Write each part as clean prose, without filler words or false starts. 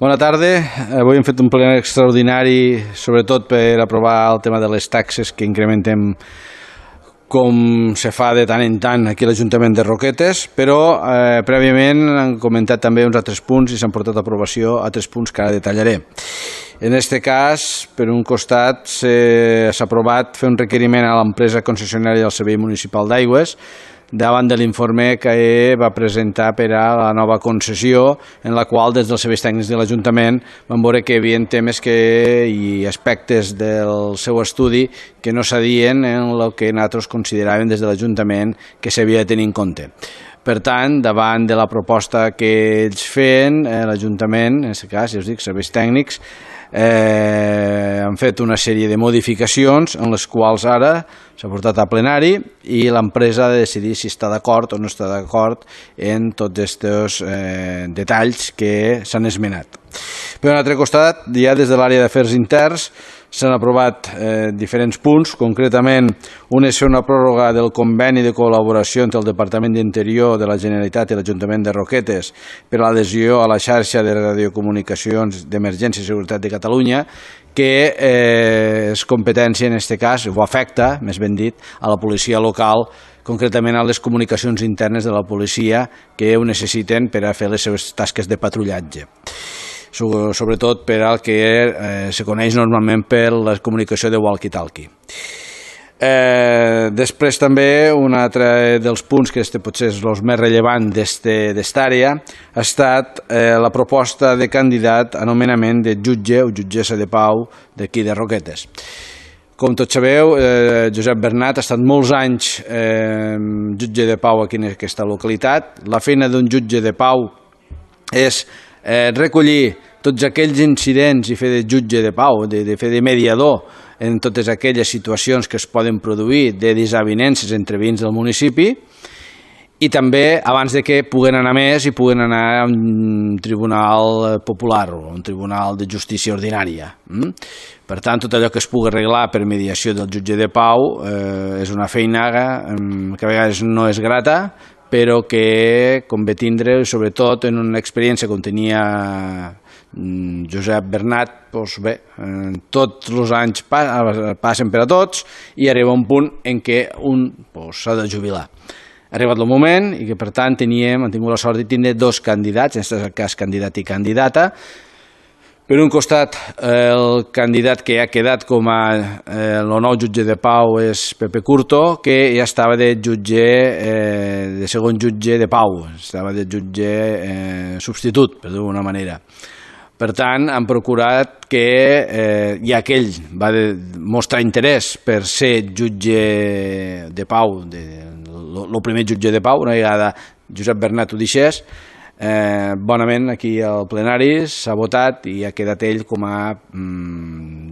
Bona tarda. Avui hem fet un ple extraordinari, sobretot per aprovar el tema de les taxes que incrementem com se fa de tant en tant aquí a l'Ajuntament de Roquetes, però prèviament han comentat també uns altres punts i s'han portat a aprovació altres punts que ara detallaré. En aquest cas, per un costat, s'ha aprovat fer un requeriment a l'empresa concessionària del Servei Municipal d'Aigües davant de l'informe que va presentar per a la nova concessió, en la qual des dels serveis tècnics de l'Ajuntament van veure que hi havia temes i aspectes del seu estudi que no s'adien en el que nosaltres consideràvem des de l'Ajuntament que s'havia de tenir en compte. Per tant, davant de la proposta que ells feien, l'Ajuntament, en aquest cas, ja us dic, serveis tècnics, han fet una sèrie de modificacions en les quals ara s'ha portat a plenari i l'empresa ha de decidir si està d'acord o no està d'acord en tots aquests detalls que s'han esmenat. Per un altre costat, ja des de l'àrea d'afers interns s'han aprovat diferents punts, concretament un és una pròrroga del conveni de col·laboració entre el Departament d'Interior de la Generalitat i l'Ajuntament de Roquetes per a l'adhesió a la xarxa de radiocomunicacions d'emergència i seguretat de Catalunya, que és competència en aquest cas, o afecta, més ben dit, a la policia local, concretament a les comunicacions internes de la policia que ho necessiten per a fer les seves tasques de patrullatge, sobretot per al que se coneix normalment per la comunicació de walkie-talkie. Després també un altre dels punts que potser és el més rellevant d'esta àrea ha estat la proposta de candidat a nomenament de jutge o jutgessa de pau d'aquí de Roquetes. Com tots sabeu, Josep Bernat ha estat molts anys jutge de pau aquí en aquesta localitat. La feina d'un jutge de pau és recollir tots aquells incidents i fer de jutge de pau, de fer de mediador en totes aquelles situacions que es poden produir de desavinences entre veïns del municipi i també abans de que puguen anar més i puguen anar a un tribunal popular o un tribunal de justícia ordinària. Per tant, tot allò que es pugui arreglar per mediació del jutge de pau és una feina que a vegades no és grata, però que convé tindre, sobretot en una experiència com tenia Josep Bernat, doncs bé, tots els anys passen per a tots i arriba un punt en què un s'ha de jubilar. Ha arribat el moment i que, per tant, hem tingut la sort de tindre dos candidats, en aquest cas candidat i candidata. Per un costat, el candidat que ha quedat com el nou jutge de pau és Pepe Curto, que ja estava de segon jutge de pau, estava de jutge substitut, per dir-ho d'una manera. Per tant, han procurat que ja aquell va mostrar interès per ser jutge de pau, el primer jutge de pau, una vegada Josep Bernat ho deixés. Bonament aquí al plenari s'ha votat i ha quedat ell com a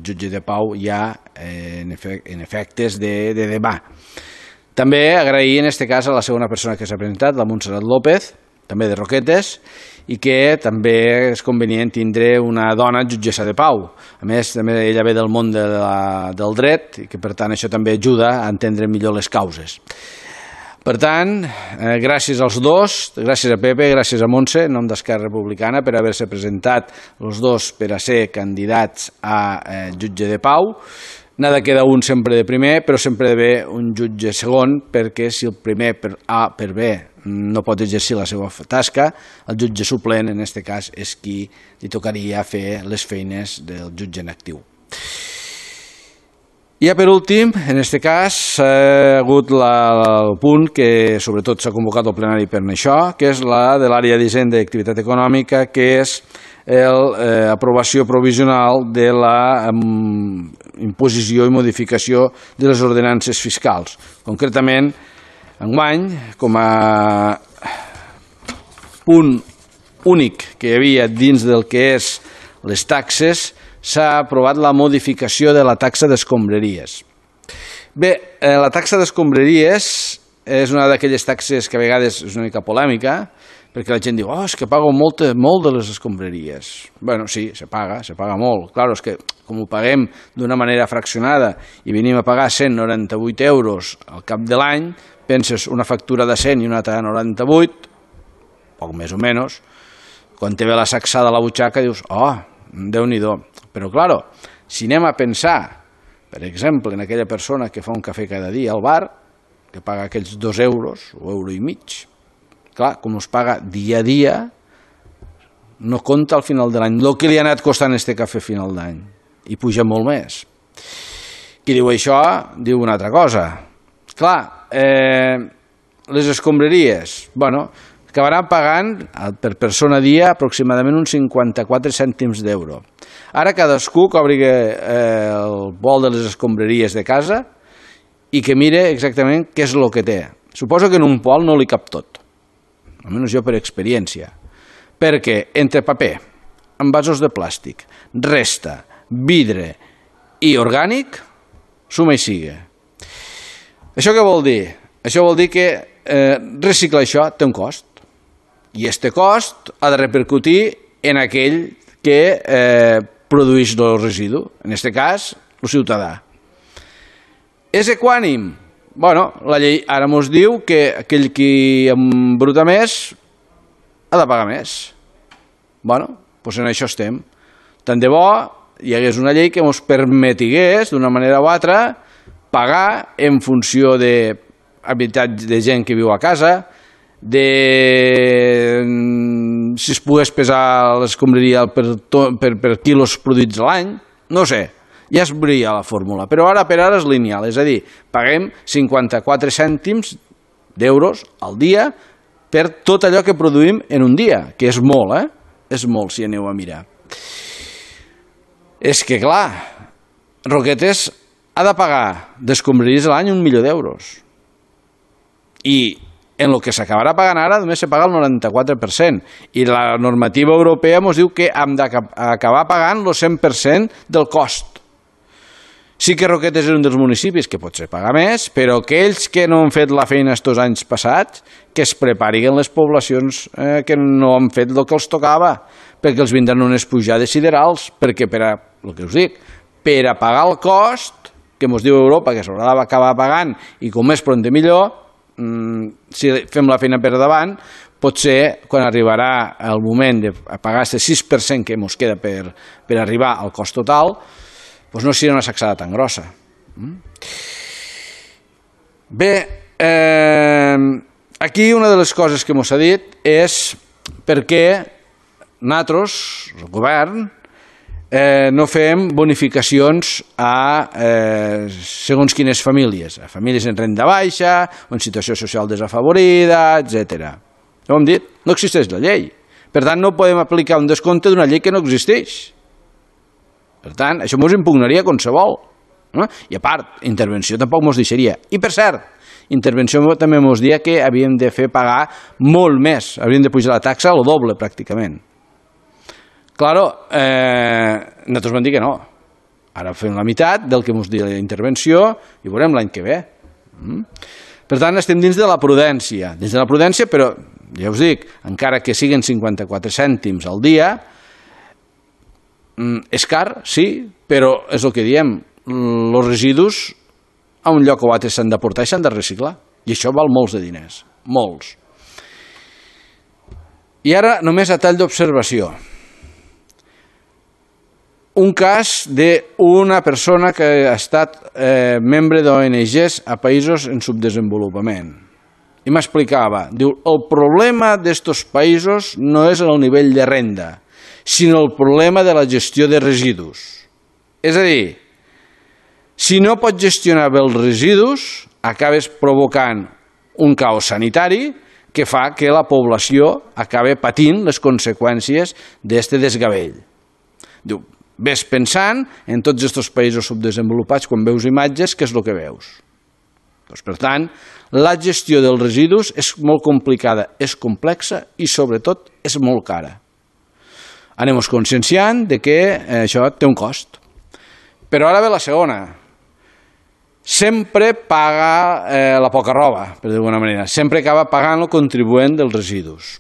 jutge de pau ja en efectes de demà. També agrair en aquest cas a la segona persona que s'ha presentat, la Montserrat López, també de Roquetes, i que també és convenient tindre una dona jutgessa de pau. A més, també ella ve del món del dret i que per tant això també ajuda a entendre millor les causes. Per tant, gràcies als dos, gràcies a Pepe, gràcies a Montse, en nom d'Esquerra Republicana, per haver-se presentat els dos per a ser candidats a jutge de pau. N'ha de quedar un sempre de primer, però sempre ha d'haver un jutge segon, perquè si el primer per A, per B, no pot exercir la seva tasca, el jutge suplent, en aquest cas, és qui li tocaria fer les feines del jutge en actiu. I per últim, en aquest cas, ha hagut el punt que sobretot s'ha convocat al plenari per això, que és la de l'àrea d'Hisenda i Activitat Econòmica, que és l'aprovació provisional de la imposició i modificació de les ordenances fiscals. Concretament, enguany, com a punt únic que hi havia dins del que és les taxes, s'ha aprovat la modificació de la taxa d'escombraries. Bé, la taxa d'escombraries és una d'aquelles taxes que a vegades és una mica polèmica, perquè la gent diu, és que pago molt de les escombraries. Bé, sí, se paga molt. Clar, és que com ho paguem d'una manera fraccionada i venim a pagar 198 euros al cap de l'any, penses una factura de 100 i una altra de 98, poc més o menys, quan te ve la sacsada a la butxaca dius, oh, Déu-n'hi-do. Però, clar, si anem a pensar, per exemple, en aquella persona que fa un cafè cada dia al bar, que paga aquells 2 euros o euro i mig, clar, com es paga dia a dia, no compta al final de l'any el que li ha anat costant este cafè a final d'any, i puja molt més. Qui diu això diu una altra cosa. Clar, les escombraries, bueno, acabaran pagant per persona a dia aproximadament uns 54 cèntims d'euro. Ara cadascú que obri el bol de les escombraries de casa i que mire exactament què és el que té. Suposo que en un pol no li cap tot, almenys jo per experiència, perquè entre paper, envasos de plàstic, resta, vidre i orgànic, suma i sigue. Això què vol dir? Això vol dir que reciclar això té un cost, i este cost ha de repercutir en aquell que produeix el residu, en aquest cas, el ciutadà. És equànim? Bueno, la llei ara ens diu que aquell qui embruta més ha de pagar més. Bueno, doncs en això estem. Tant de bo hi hagués una llei que ens permetigués, d'una manera o altra, pagar en funció de habitatge de gent que viu a casa, de si es pogués pesar l'escombraria per quilos produïts a l'any, no sé, ja es veuria la fórmula, però ara per ara és lineal, és a dir, paguem 54 cèntims d'euros al dia per tot allò que produïm en un dia, que és molt, és molt si aneu a mirar. És que clar, Roquetes ha de pagar d'escombraries a l'any 1 milió d'euros, i en el que s'acabarà pagant ara només se paga el 94%, i la normativa europea ens diu que hem d'acabar pagant el 100% del cost. Sí que Roquetes és un dels municipis que potser paga més, però aquells que no han fet la feina estos anys passats, que es preparin les poblacions que no han fet el que els tocava, perquè els vindran unes pujades siderals, perquè el que us dic, per a pagar el cost, que ens diu Europa que s'haurà d'acabar pagant, i com més pront millor, si fem la feina per davant, potser quan arribarà el moment de pagar aquest 6% que ens queda per arribar al cost total, doncs no serà una sacsada tan grossa. Bé, aquí una de les coses que ens ha dit és per què nosaltres, el govern, no fem bonificacions a segons quines famílies, a famílies en renda baixa o en situació social desafavorida, etc. No ho hem dit, no existeix la llei. Per tant, no podem aplicar un descompte d'una llei que no existeix. Per tant, això ens impugnaria qualsevol. I a part, intervenció tampoc ens deixaria. I per cert, intervenció també ens dia que havíem de fer pagar molt més, havíem de pujar la taxa al doble pràcticament. Claro, nosaltres vam dir que no. Ara fem la meitat del que ens diu la intervenció i veurem l'any que ve. Per tant, estem dins de la prudència. Dins de la prudència, però, ja us dic, encara que siguin 54 cèntims al dia, és car, sí, però és el que diem, els residus a un lloc o altre s'han de portar i s'han de reciclar. I això val molts de diners, molts. I ara només a tall d'observació. Un cas d'una persona que ha estat membre d'ONGs a països en subdesenvolupament. I m'explicava, diu, el problema d'estos països no és el nivell de renda, sinó el problema de la gestió de residus. És a dir, si no pots gestionar bé els residus, acabes provocant un caos sanitari que fa que la població acabi patint les conseqüències d'aquest desgavell. Diu, ves pensant en tots aquests països subdesenvolupats, quan veus imatges, què és el que veus? Doncs, per tant, la gestió dels residus és molt complicada, és complexa i, sobretot, és molt cara. Anem-nos conscienciant que això té un cost. Però ara ve la segona. Sempre paga la poca roba, per dir d'alguna manera. Sempre acaba pagant el contribuent dels residus.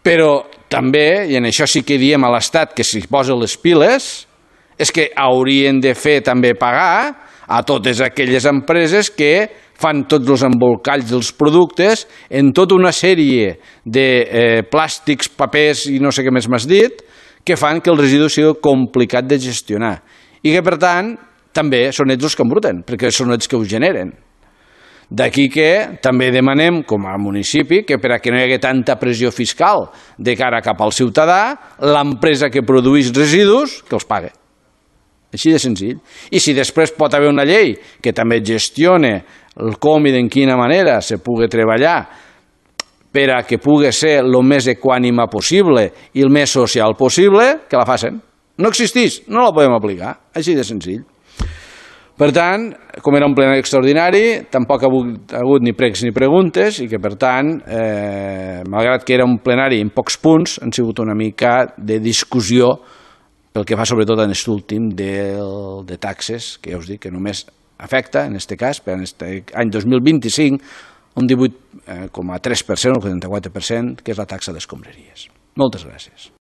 Però també, i en això sí que diem a l'Estat que s'hi posa les piles, és que haurien de fer també pagar a totes aquelles empreses que fan tots els embolcalls dels productes en tota una sèrie de plàstics, papers i no sé què més m'has dit, que fan que el residu sigui complicat de gestionar i que, per tant, també són ells els que embruten, perquè són ells que ho generen. D'aquí que també demanem, com a municipi, que per a que no hi hagi tanta pressió fiscal de cara cap al ciutadà, l'empresa que produeix residus, que els pague. Així de senzill. I si després pot haver una llei que també gestione el com i d'en quina manera se pugui treballar per a que pugui ser el més equànime possible i el més social possible, que la facin. No existeix, no la podem aplicar. Així de senzill. Per tant, com era un plenari extraordinari, tampoc ha hagut ni pregs ni preguntes i que, per tant, malgrat que era un plenari en pocs punts, han sigut una mica de discussió pel que fa sobretot en aquest últim de taxes, que ja us dic que només afecta, en aquest cas, per aquest any 2025, un 18,3%, un 44%, que és la taxa d'escombraries. Moltes gràcies.